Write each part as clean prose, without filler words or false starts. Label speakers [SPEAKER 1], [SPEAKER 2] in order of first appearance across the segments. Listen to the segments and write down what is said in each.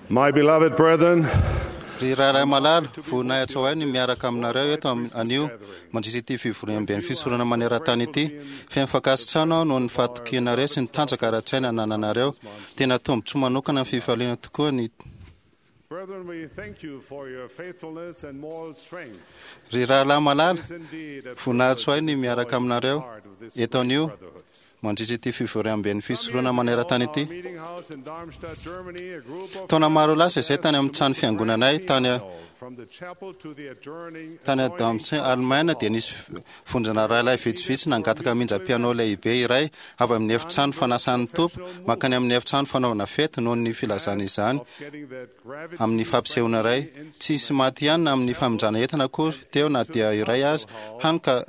[SPEAKER 1] My beloved brethren,
[SPEAKER 2] Ry rahalahy malala, voninahitra ho ahy ny miaraka aminareo eto anio mandritra ity fivoriamben'ny fisoronana maneran-tany ity. Feno fankasitrahana aho noho ny fahatokianareo sy ny tanjaka ara-tsaina anananareo. Tena tombontsoa manokana ny fifaliana tokoa ny
[SPEAKER 1] brethren, we thank you for your faithfulness and moral strength.
[SPEAKER 2] Ry rahalahy malala,
[SPEAKER 1] It is indeed a
[SPEAKER 2] voninahitra ho ahy
[SPEAKER 1] privilege
[SPEAKER 2] ny
[SPEAKER 1] to
[SPEAKER 2] miaraka
[SPEAKER 1] join
[SPEAKER 2] aminareo
[SPEAKER 1] part of this
[SPEAKER 2] eto
[SPEAKER 1] great
[SPEAKER 2] anio
[SPEAKER 1] brotherhood.
[SPEAKER 2] mandritra ity fivoriamben'ny
[SPEAKER 1] Some
[SPEAKER 2] fisoronana
[SPEAKER 1] years ago,
[SPEAKER 2] maneran-tany
[SPEAKER 1] our
[SPEAKER 2] ity.
[SPEAKER 1] meeting house in Darmstadt, Germany, a group of
[SPEAKER 2] Taona maro lasa izay
[SPEAKER 1] asked
[SPEAKER 2] tany amin'ny
[SPEAKER 1] to
[SPEAKER 2] trano
[SPEAKER 1] move the
[SPEAKER 2] fiangonanay
[SPEAKER 1] grand
[SPEAKER 2] tany
[SPEAKER 1] piano from the chapel to the adjourning
[SPEAKER 2] tany
[SPEAKER 1] adjoining
[SPEAKER 2] Darmstadt, Alemaina dia nisy vondrona rahalahy vitsivitsy nangataka hamindra piano lehibe iray avy amin'ny efitrano fanasan'ny Tompo mankany amin'ny efitrano fanaovana fety noho ny filazana izany
[SPEAKER 1] of getting that gravity
[SPEAKER 2] amin'ny fampisehoana iray. Tsy nisy maty ihany amin'ny famindrana entana akory teo na dia iray aza, hany ka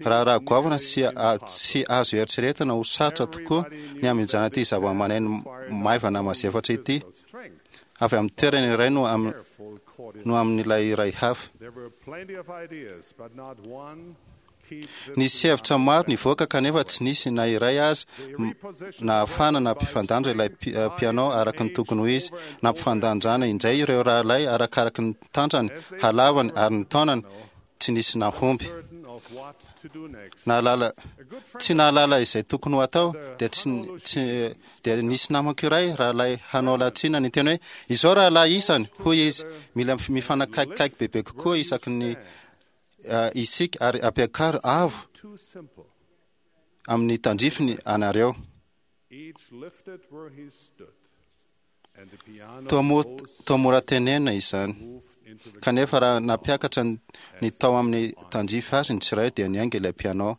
[SPEAKER 2] raharaha goavana sy tsy azo eritreretina ho sarotra tokoa ny hamindrana ity zavamaneno maivana mazefatra ity
[SPEAKER 1] strength,
[SPEAKER 2] avy amin'ny toerana iray no am-
[SPEAKER 1] careful coordination.
[SPEAKER 2] no amin'ilay iray hafa.
[SPEAKER 1] There were plenty of ideas, but not one keep the
[SPEAKER 2] Nisy hevitra maro nivoaka kanefa tsy nisy na iray aza nahafahana nampifandanja ilay piano araka ny tokony ho izy. Nampifandanjana indray ireo rahalahy arakaraky ny tanjany, halavany ary ny taonany, tsy nisy nahomby.
[SPEAKER 1] certain of what to do next.
[SPEAKER 2] Nahalala tsy nahalala izay tokony ho atao dia tsy tsy dia nisy namako iray rahalahy hanao latsina ny teny hoe izao rahalahy isany hoy izy mila mifanakaikikaiky bebe kokoa isaky ny isika ary ampiakaro avo
[SPEAKER 1] Too simple.
[SPEAKER 2] amin'ny tandrifiny anareo.
[SPEAKER 1] Each lifted where he stood, and the piano
[SPEAKER 2] Toa mo-
[SPEAKER 1] rose
[SPEAKER 2] toa mora tenenina izany.
[SPEAKER 1] moved into the
[SPEAKER 2] Kanefa raha nampiakatra ny tao amin'ny tandrify azy ny tsiray dia niainga ilay piano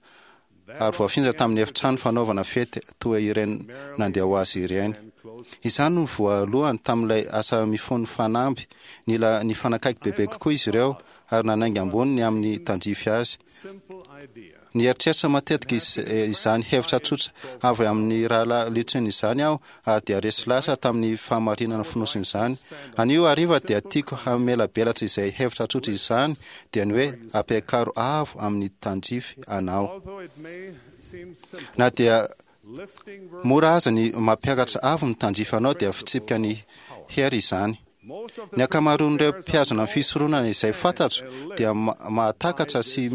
[SPEAKER 2] ary voafindra tamin'ny efitrano fanaovana fety toa ireny nandeha ho azy ireny.
[SPEAKER 1] and closed.
[SPEAKER 2] Izany no voalohany tamin'ilay asa mifono fanamby nila nifanakaiky bebe kokoa izy ireo ary nanainga ambony ny amin'ny tandrify azy.
[SPEAKER 1] Simple idea.
[SPEAKER 2] Nieritreritra matetika izany hevitra tsotra avy amin'ny rahalahy Lutzen izany aho ary dia resy lahatra tamin'ny fahamarinana fonosiny izany. Anio hariva dia tiako hamelabelatra izay hevitra tsotra izany dia ny hoe ampiakaro avo amin'ny tandrify anao.
[SPEAKER 1] Although it may seem simple,
[SPEAKER 2] Na dia
[SPEAKER 1] lifting where
[SPEAKER 2] mora aza ny mampiakatra avo ny tandrify anao dia fitsipika ny hery izany.
[SPEAKER 1] most of the
[SPEAKER 2] Ny ankamaroan'ireo mpihazona ny fisoronana izay fantatro dia mahatakatra sy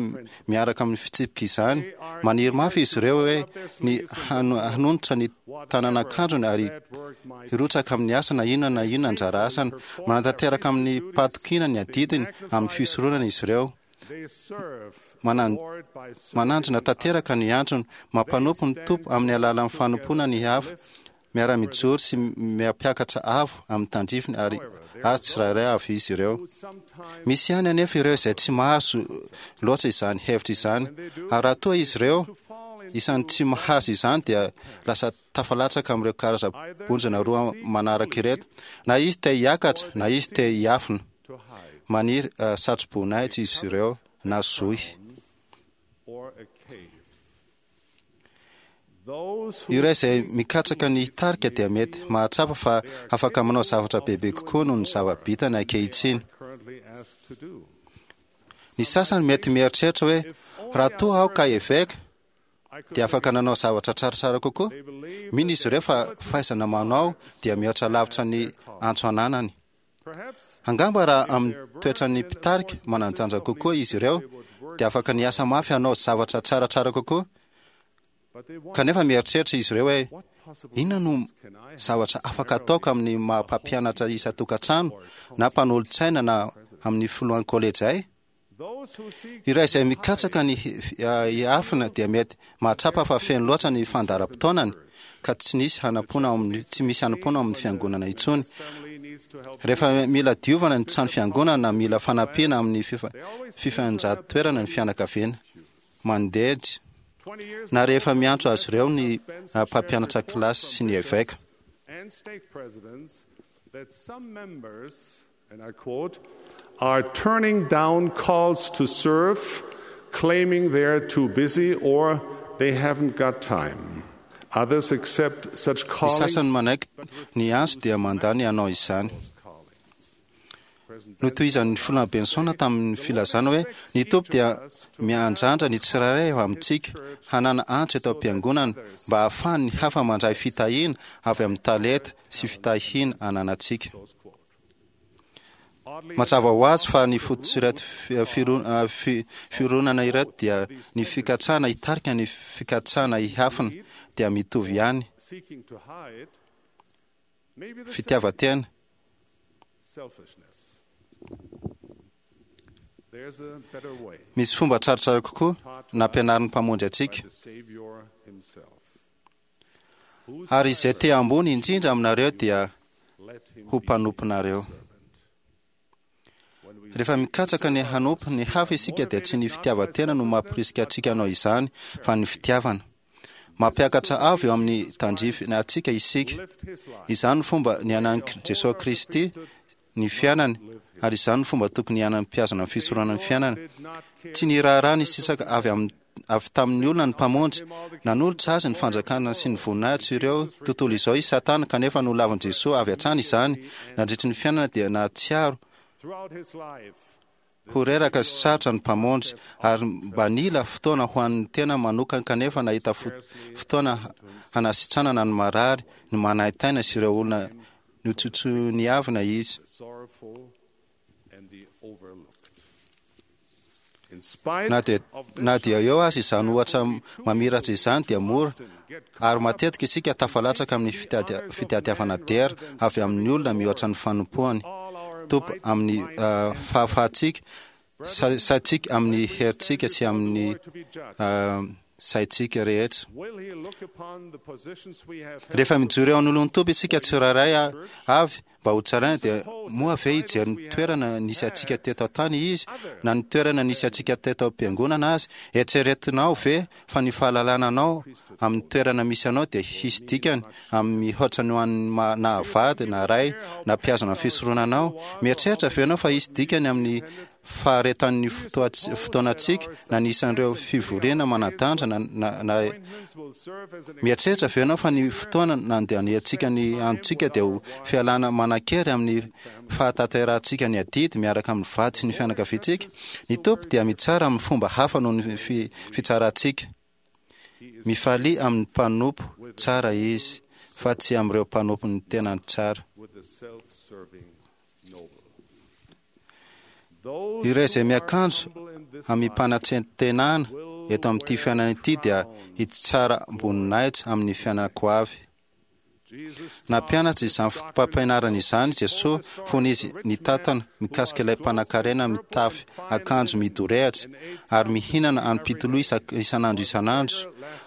[SPEAKER 2] miaraka amin'ny fitsipika izany. Maniry mafy izy ireo hoe ny hanonitra ny tanan'akanjony ary
[SPEAKER 1] that work might
[SPEAKER 2] hirotsaka amin'ny asa na inona na inona anjara asany. Manatanteraka amin'ny pahatokiana ny adidiny amin'ny fisoronana izy ireo.
[SPEAKER 1] they serve Lord by serving
[SPEAKER 2] Mananjina tanteraka ny antsony, mampanompo ny Tompo amin'ny alalan'ny fanompoana ny hafa, miara-mijoro sy miampiakatra avo amin'ny tandrifiny ary azy tsirairay avy izy ireo.
[SPEAKER 1] who sometimes
[SPEAKER 2] Misy ihany anefa ireo izay tsy mahazo loatra izany hevitra izany, ary raha toa izy ireo
[SPEAKER 1] to fall into
[SPEAKER 2] isan'ny tsy mahazo izany dia lasa tafalatsaka amin'ireo karazam-bonjona roa manaraka ireto, na izy te hiakatra na izy te hiafina.
[SPEAKER 1] to hide
[SPEAKER 2] Maniry satroboninahitra izy ireo na zohy.
[SPEAKER 1] or a cave. Those who
[SPEAKER 2] Ireo izay mikatsaka ny hitarika dia mety mahatsapa fa afaka manao zavatra bebe kokoa noho ny zava-bitany ankehitriny.
[SPEAKER 1] currently asked to do.
[SPEAKER 2] Ny sasany mety mieritreritra hoe raha toa aho ka eveka
[SPEAKER 1] I could
[SPEAKER 2] dia afaka nanao zavatra tsaratsara kokoa.
[SPEAKER 1] they believe
[SPEAKER 2] Mino izy ireo fa fahaizana manao dia mihoatra lavitra ny antso ananany.
[SPEAKER 1] perhaps
[SPEAKER 2] Angamba raha amin'ny toetran'ny mpitarika manan-danja kokoa izy ireo dia afaka niasa mafy hanao zavatra tsaratsara kokoa.
[SPEAKER 1] but they wonder
[SPEAKER 2] Kanefa mieritreritra izy ireo hoe
[SPEAKER 1] what possible
[SPEAKER 2] inona no
[SPEAKER 1] can I have
[SPEAKER 2] zavatra afaka ataoko amin'ny maha mpampianatra isan-tokantrano na mpanolotsaina na amin'ny filohan'ny kolejy ay.
[SPEAKER 1] those who seek
[SPEAKER 2] Ireo izay mikatsaka ny hiafina dia mety mahatsapa fa feno loatra ny fandaharam-potoanany ka tsy nisy hanampoana ao amin'ny tsy misy hanampoana ao amin'ny fiangonana intsony.
[SPEAKER 1] family needs to help
[SPEAKER 2] Rehefa mila diovana ny trano fiangonana na mila fanampiana amin'ny fifanjatoerana ny fianakaviana mandehitra
[SPEAKER 1] 20 years
[SPEAKER 2] na rehefa miantso azy ireo ny mpampianatra kilasy sy ny eveka.
[SPEAKER 1] and state presidents that some members, and I quote, are turning down calls to serve, claiming they're too busy or they haven't got time. Others accept such
[SPEAKER 2] Ny
[SPEAKER 1] callings.
[SPEAKER 2] sasany manaiky ny antso dia mandà ny hanao izany.
[SPEAKER 1] callings. President
[SPEAKER 2] Notohizan'ny filoha Benson tamin'ny filazana hoe ny Tompo dia miandrandra ny tsirairay avy amintsika hanana antso eto am-piangonana mba hahafahan'ny hafa mandray fitahiana avy amin'ny talenta sy fitahiana ananantsika.
[SPEAKER 1] Close quote.
[SPEAKER 2] Mazava ho azy fa ny fototr'ireto fironana ireto dia ny fikatsahana hitarika ny fikatsahana hihafina dia mitovy ihany. Fitiavan-tena. Misy fomba tsaratsara kokoa nampianarin'ny Mpamonjy antsika. Ary izay te ambony indrindra aminareo dia ho mpanomponareo. Rehefa mikatsaka ny hanompo ny hafa isika dia tsy ny fitiavan-tena no mampirisika antsika hanao izany fa ny fitiavana. Mampiakatra avo eo amin'ny tandrify antsika isika. Izany no fomba niainan'i Jesoa Kristy ny fiainany ary izany no fomba tokony hiainan'ny mpihazona ny fisoronana ny fiainana. Tsy niraharaha ny sisaka avy amin'ny avy tamin'ny olona ny Mpamonjy. Nanolotra azy ny fanjakana sy ny voninahitra ireo tontolo izao i Satana, kanefa nolavin'i Jesoa avy hatrany izany. Nandritry ny fiainana dia nahatsiaro ho reraka sy sarotra ny Mpamonjy, ary mba nila fotoana ho an'ny tena manokana, kanefa nahita fotoana hanasitranana ny marary, ny manaintaina sy ireo olona notsotsoniavina izy. Na dia eo aza izany ohatra mamiratra izany dia mora ary matetika isika tafalatsaka amin'ny fitadiavana dera avy amin'ny olona mihoatra ny fanompoany Tompo amin'ny fahafahantsika saintsika amin'ny herintsika sy amin'ny saintsika rehetra. Rehefa mijoro eo anoloan'ny Tompo isika tsirairay avy mba ho tsaraina dia moa ve hijery ny toerana nisy antsika teto an-tany Izy na ny toerana nisy antsika teto am-piangonana azy? Eritreretinao ve fa ny fahalalana anao amin'ny toerana misy anao dia hisy dikany amin'ny mihoatra ny ho an'ny na vady na ray na mpihazona ny fisoronanao? Mieritreritra ve ianao fa hisy dikany amin'ny faharetan'ny fotoanantsika na ny isan'ireo fivoriana manan-danja na na Mieritreritra ve ianao fa ny fotoana nandaniantsika ny androntsika dia ho fialana manan-kery amin'ny fahatanterahantsika ny adidy miaraka amin'ny vady sy ny fianakaviantsika? Ny Tompo dia mitsara amin'ny fomba hafa noho ny fitsarantsika. Mifalia amin'ny mpanompo tsara Izy, fa tsy amin'ireo mpanompon'ny tenany tsara. Ireo izay miakanjo amim-panatrentenana eto amin'ity fiainana ity dia hitsara am-boninahitra amin'ny fiainana-ko avy. Nampianatra izany fotopampianarana izany Jesoa fony Izy nitantana mikasika ilay mpanankarena mitafy akanjo midorehatra ary mihinana an'pitoloha isan'andro isan'andro.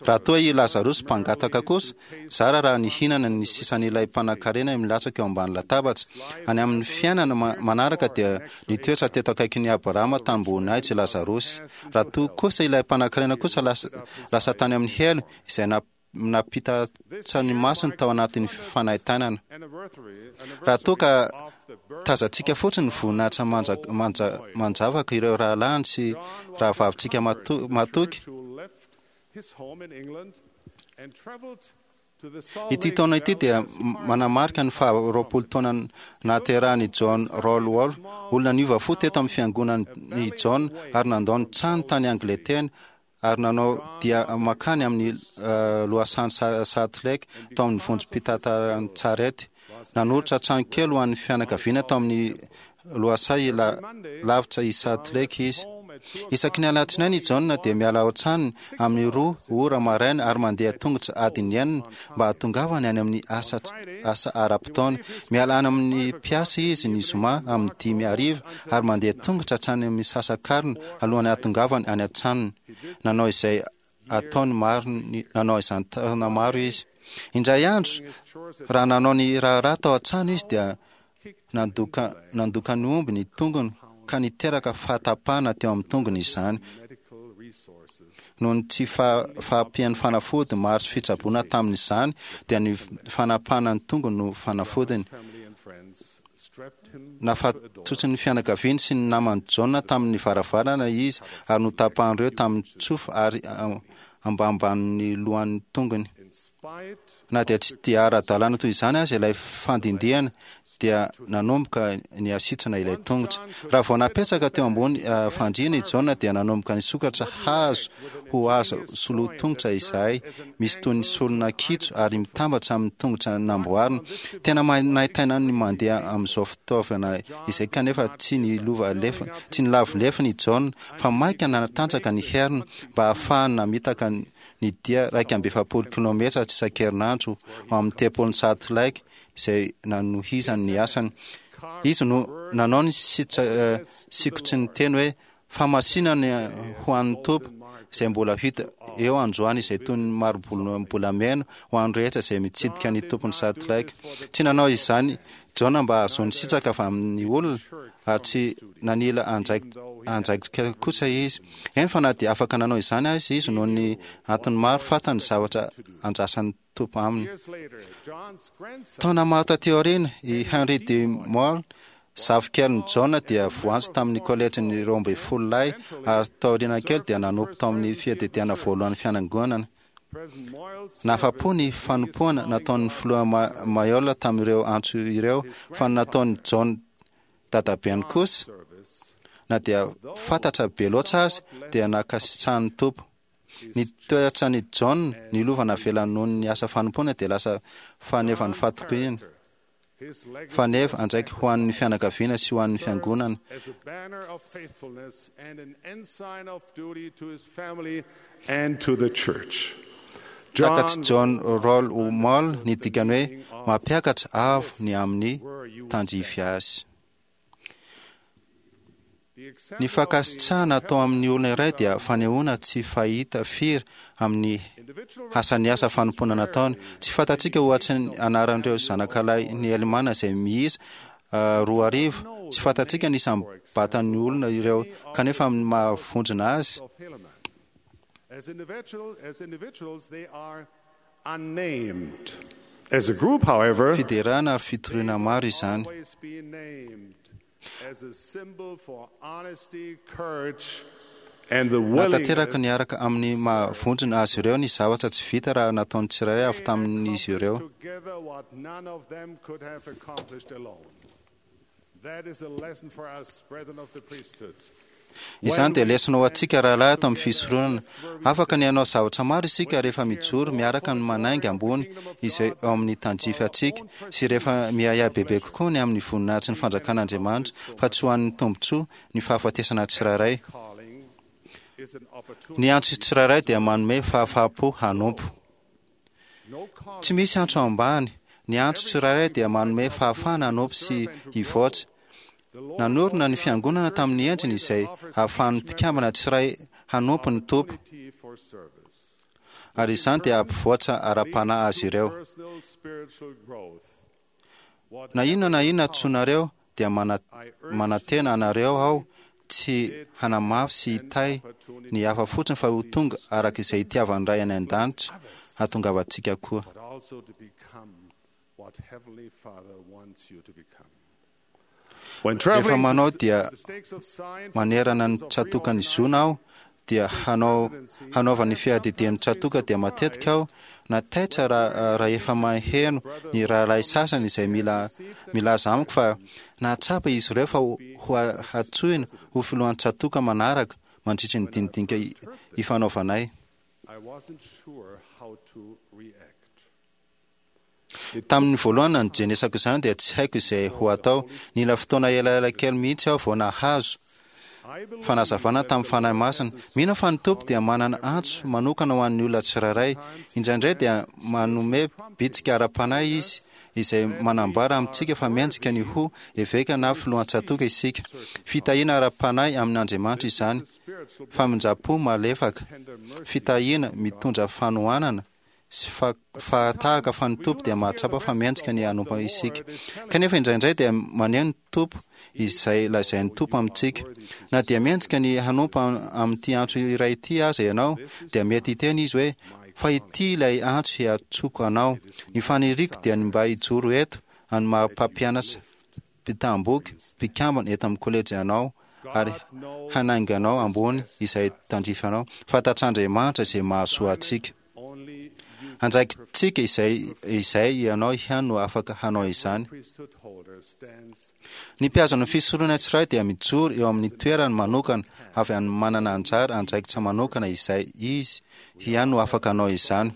[SPEAKER 2] Raha toa i Lazarosy mpangataka kosa, Zara raha nihinana ny sisan'ilay mpanankarena milatsaka eo ambany latabatra. Any amin'ny fiainana manaraka dia nitoetra teto akaikin'i Abrahama tamim-boninahitra i Lazarosy. Raha toa kosa ilay mpanankarena kosa lasa lasa tany amin'ny helo, izay nampitatsa ny masony tao anatin'ny fanaintainana. Raha toa ka tazantsika fotsiny ny voninahitra manjavaka ireo rahalahiny sy rahavavintsika matoky, Ity taona ity dia manamarika ny faha 20 taona nahaterahan'i John Rollwall, olona niova fo teto amin'ny fiangonan'i John ary nandao ny trano tany Angletera ary nanao dia mankany amin'ny lohasahan'i Salt Lake tao amin'ny vondrom-pitantaran-tsarety. Nanoritra trano kely ho an'ny fianakaviana tao amin'ny lohasaha lavitra i Salt Lake izy. Isaky ny alatsinainy i John dia miala ao an-tranony amin'ny 2 ora maraina ary mandeha tongotra adiny enina mba hahatongavany any amin'ny asa asa ara-potoana. Miala any amin'ny mpiasa izy ny zoma amin'ny 5 hariva ary mandeha tongotra hatrany amin'ny misasakarina alohan'ny hahatongavany any an-tranony. Nanao izay ataony maro nanao izany taona maro izy. Indray andro, raha nanao ny raharaha tao an-trano izy dia nandoka nandoka ny omby ny tongony ka niteraka fahatapahana teo amin'ny tongony izany. Noho ny tsy fahampian'ny fanafody maro sy fitsaboana tamin'izany dia ny fanapahana ny tongony no fanafodiny. Nafatotry ny fianakaviany sy ny naman'i Jaona tamin'ny varavarana izy ary notapahan'ireo tamin'ny tsofa ary ambambanin'ny lohan'ny tongony. Na dia tsy dia ara-dalàna toy izany aza ilay fandindihana, dia nanomboka niasitsana ilay tongotra. Raha vao napetraka teo ambony fandriana i Jaona dia nanomboka nisokatra hazo ho azo soloa tongotra izahay, misy toy ny solona kitso ary mitambatra amin'ny tongotra namboarina. Tena manaintaina ny mandeha amin'izao fitaovana izay, kanefa tsy nilova lefa, tsy nilavo lefona i Jaona fa maika nanatanjaka ny heriny mba ahafahany namitaka ny dia 41 kilometatra isan-kerinandro ho amin'ny tempolin'i Salt Lake izay nanohizany ny asany. Izy no nanao ny sikotry ny teny hoe famasinana ho an'ny Tompo, izay mbola hita eo androany, izay toy ny mari-bolamena ho an'ny rehetra izay mitsidika ny tompon'ny Salt Lake. Tsy nanao izany Jaona mba hahazoany sitraka avy amin'ny olona, ary tsy nanila andraikitra kosa izy. Eny fa na dia afaka nanao izany aza izy noho ny antony maro, fantany ny zavatra andrasan'ny Tompo aminy.
[SPEAKER 1] Years later, John's grandson,
[SPEAKER 2] Taona maro taty aoriana, i Henry D. Moore, zafikelin'i Jaona, dia voantso tamin'ny kolejin'ny 12 lahy ary taoriana kely dia nanompo tao amin'ny fiadidiana voalohan'ny fiangonana.
[SPEAKER 1] President Moyles
[SPEAKER 2] Nahafa-po ny fanompoana nataon'ny filoha Mayola tamin'ireo antso ireo, fa ny nataon'i John dadabeny kosa,
[SPEAKER 1] service
[SPEAKER 2] na dia fantatra be loatra azy, dia nankasitrahan'ny Tompo. Ny toetran'i John, ny lova navelany noho ny asa fanompoana, dia lasa fanevan'ny fahatokiana,
[SPEAKER 1] his legacy
[SPEAKER 2] faneva andraiky ho an'ny fianakaviana sy ho an'ny fiangonana.
[SPEAKER 1] as a banner of faithfulness and an ensign of duty to his family and to the church.
[SPEAKER 2] Takatr'i John Roll Moll ny dikany hoe mampiakatra avo ny amin'ny tandrify azy. Ny fankasitrahana atao amin'ny olona iray dia fanehoana tsy fahita firy amin'ny asan'ny asa fanompoana nataony. Tsy fantatsika ohatry ny anaran'ireo zanakalahy ny Elimana izay miisa 2000. Tsy fantatsika ny isam-batan'ny olona ireo, kanefa amin'ny mahavondrona azy,
[SPEAKER 1] of Helaman. As individuals, they are unnamed. As a group, however,
[SPEAKER 2] fiderana ary fitoriana maro izany.
[SPEAKER 1] always be named as a symbol for honesty, courage, and the
[SPEAKER 2] Natanteraka
[SPEAKER 1] willingness
[SPEAKER 2] niaraka amin'ny mahavondrona azy ireo ny zavatra tsy vita raha nataon'ny tsirairay avy tamin'izy ireo.
[SPEAKER 1] together what none of them could have accomplished alone. That is a lesson for us, brethren of the priesthood.
[SPEAKER 2] Izany dia lesona ho antsika rahalahy ato amin'ny fisoronana. Afaka ny hanao zavatra maro isika rehefa mijoro miaraka ny manainga ambony izay ao amin'ny tandrify antsika sy rehefa miahiahy bebe kokoa ny amin'ny voninahitry ny fanjakan'Andriamanitra fa tsy ho an'ny tombontsoa ny fahafatesana tsirairay.
[SPEAKER 1] Calling is an opportunity.
[SPEAKER 2] Ny antso tsirairay dia manome fahafahampo hanompo.
[SPEAKER 1] No calling
[SPEAKER 2] Tsy misy antso ambany. Ny antso tsirairay dia manome fahafahana hanompo sy hivoatra. Nanorina ny fiangonana tamin'ny endriny izay ahafahan'ny mpikambana tsiray hanompo ny Tompo,
[SPEAKER 1] for service.
[SPEAKER 2] ary izany dia hampivoatra ara-panahy azy ireo.
[SPEAKER 1] Personal spiritual growth. What
[SPEAKER 2] Na inona na inona antsoinareo dia manantena anareo aho tsy hanamafy sy hitahy ny hafa fotsiny fa ho tonga araka izay itiavan'ny Ray any an-danitra hahatongavantsika koa.
[SPEAKER 1] but also to become what Heavenly Father wants you to become. When
[SPEAKER 2] Rehefa
[SPEAKER 1] traveling
[SPEAKER 2] manao
[SPEAKER 1] to
[SPEAKER 2] dia
[SPEAKER 1] the stakes of science
[SPEAKER 2] manerana ny tsatokan'ny zona aho dia hanao hanaovan'ny fiadidian'ny tsatoka dia matetika aho nataitra raha rehefa maheno ny rahalahy sasany izay mila milaza amiko fa nahatsapa izy ireo fa ho hatsoina ho filohan'ny tsatoka manaraka mandritry ny dinidinika ifanaovanay.
[SPEAKER 1] I wasn't sure how to react.
[SPEAKER 2] Tamin'ny voalohany nandrenesako izany dia tsy haiko izay ho atao. Nila fotoana elaela kely mihitsy aho vao nahazo
[SPEAKER 1] I believe
[SPEAKER 2] fanazavana tamin'ny Fanahy Masina. Mino fa ny Tompo dia manana antso manokana ho an'ny olona tsirairay. Indraindray dia manome bitsika ara-panahy izy izay manambara amintsika fa mendrika ny ho eveka na filohan-tsatoka isika. Fitahiana ara-panahy amin'Andriamanitra izany.
[SPEAKER 1] spiritual
[SPEAKER 2] Famindram-po malefaka. Fitahiana mitondra fanohanana sy fahatahaka fa ny Tompo dia mahatsapa fa mendrika ny hanompo isika. Kanefa indraindray dia maneho ny Tompo izay lazain'ny Tompo amintsika. Na dia mendrika ny hanompo amin'ity antso iray ity aza ianao, dia mety hiteny izy hoe fa ity ilay antso hiantsoko anao. Ny faniriako dia ny mba hijoro eto any maha mpampianatra mpitamboky mpikambana eto amin'ny kolejy anao ary hanainga anao ambony izay tandrify anao. Fantatr'Andriamanitra izay mahasoa antsika.
[SPEAKER 1] only you
[SPEAKER 2] Andraikitra Tompontsika izay izay ianao ihany no afaka hanao izany. Ny mpihazona fisoronana tsirairay dia mijoro eo amin'ny toerany manokana avy amin'ny manana anjara andraikitra manokana izay izy ihany no afaka hanao izany.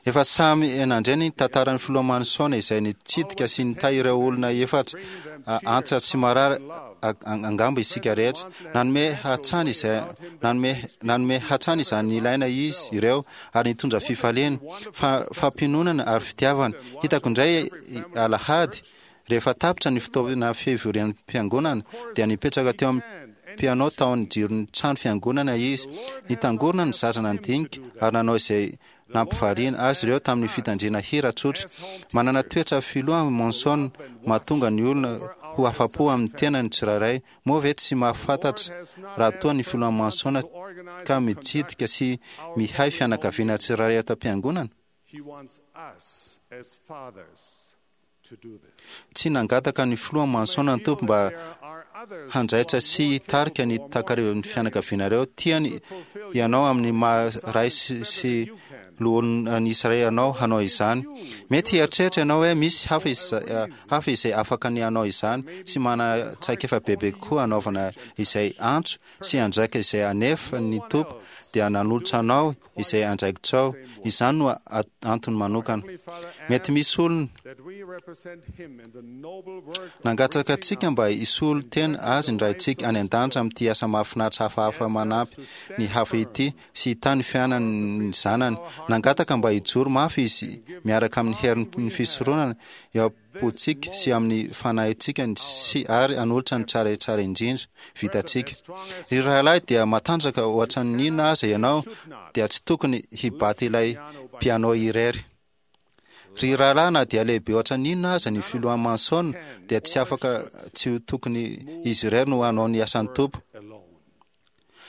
[SPEAKER 2] Efa samy nandre ny tantaran'ny filoha Manson izay nitsidika sy nitahy ireo olona efatra antitra sy marary angamba isika rehetra. Nanome hatrany izay nanome nanome hatrany izany nilaina izy ireo ary nitondra fifaliana, fa fampiononana ary fitiavana. Hitako indray alahady rehefa tapitra ny fotoana fivorian'ny mpiangonana dia nipetraka teo amin'ny piano tao amin'ny jiron'ny trano fiangonana izy. Nitangorona ny zaza nandinika ary nanao izay nampivariana azy ireo tamin'ny fitandrina hira tsotra. Manana toetra filoha Monson mahatonga ny olona ho afa-po amin'ny tenany tsirairay. Moa ve tsy mahafantatra raha toa ny filoha Monson ka mitsidika sy mihay fianakaviana tsirairay ato am-piangonana? Tsy nangataka ny filoha Manson ny Tompo mba hanjaitra sy hitarika ny takarivan'ny fianakavianareo. Tiany ianao amin'ny maha ray sy loholon'ny Israely anao hanao izany. Mety hieritreritra ianao hoe misy hafa hafa izay afaka ny hanao izany sy manana traikefa bebe kokoa hanaovana izay antso sy andraikitra izay anefa ny Tompo dia nanolotra anao izay andraikitrao. Izany no antony manokana. Mety misy olona nangataka antsika mba hisolo tena azy ny Raintsika any an-danitra amin'ity asa mahafinaritra hafahafa manampy ny hafa ity sy hitahy ny fiainan'ny zanany. Nangataka mba hijoro mafy izy miaraka amin'ny herin'ny fisoronana eo am-pontsika sy amin'ny fanahintsika sy ary hanolotra ny tsara tsara indrindra vitantsika. Ry rahalahy dia matanjaka ohatran'ny inona aza ianao dia tsy tokony hibaty ilay piano irery. Ry rahalahy na dia lehibe ohatran'ny inona aza ny filoha Manson dia tsy afaka tsy ho tokony izy irery no hanao ny asan'ny Tompo.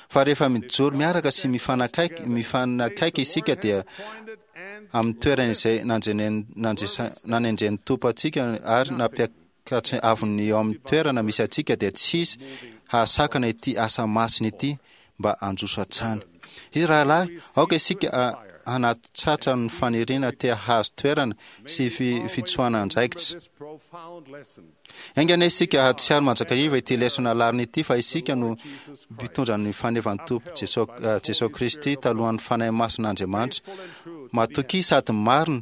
[SPEAKER 2] Fa rehefa mijoro miaraka sy mifanakaiky mifanakaiky isika dia amin'ny toerana izay nanendren'ny Tompo antsika ary nampiakatry avon'ny eo amin'ny toerana misy antsika dia tsy hisy hahasakana ity asa masina ity mba handroso hatrany. Ry rahalahy, aoka isika hanatratra ny faniriana te hahazo toerana sy fitsoahana andraikitra. Enga anie isika hahatsiaro mandrakariva ity lesona lalina ity fa isika no mpitondra ny fanevan'ny Tompo Jesoa Kristy talohan'ny Fanahy Masin'Andriamanitra. Matokia sady marina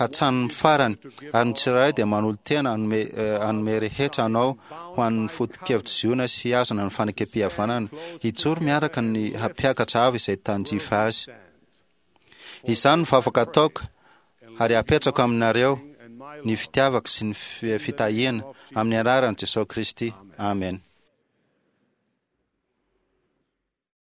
[SPEAKER 2] hatramin'ny farany, ary ny tsirairay dia manolo-tena hanome hanome rehetra anao ho an'ny foto-kevitr'i Ziona sy hihazona ny fanekem-pihavanana, hijoro miaraka ny hampiakatra avo izay tandrify azy. Izany no vavaka ataoko ary apetrako aminareo ny fitiavako sy ny fitahiana amin'ny anaran'i Jesoa Kristy. Amen.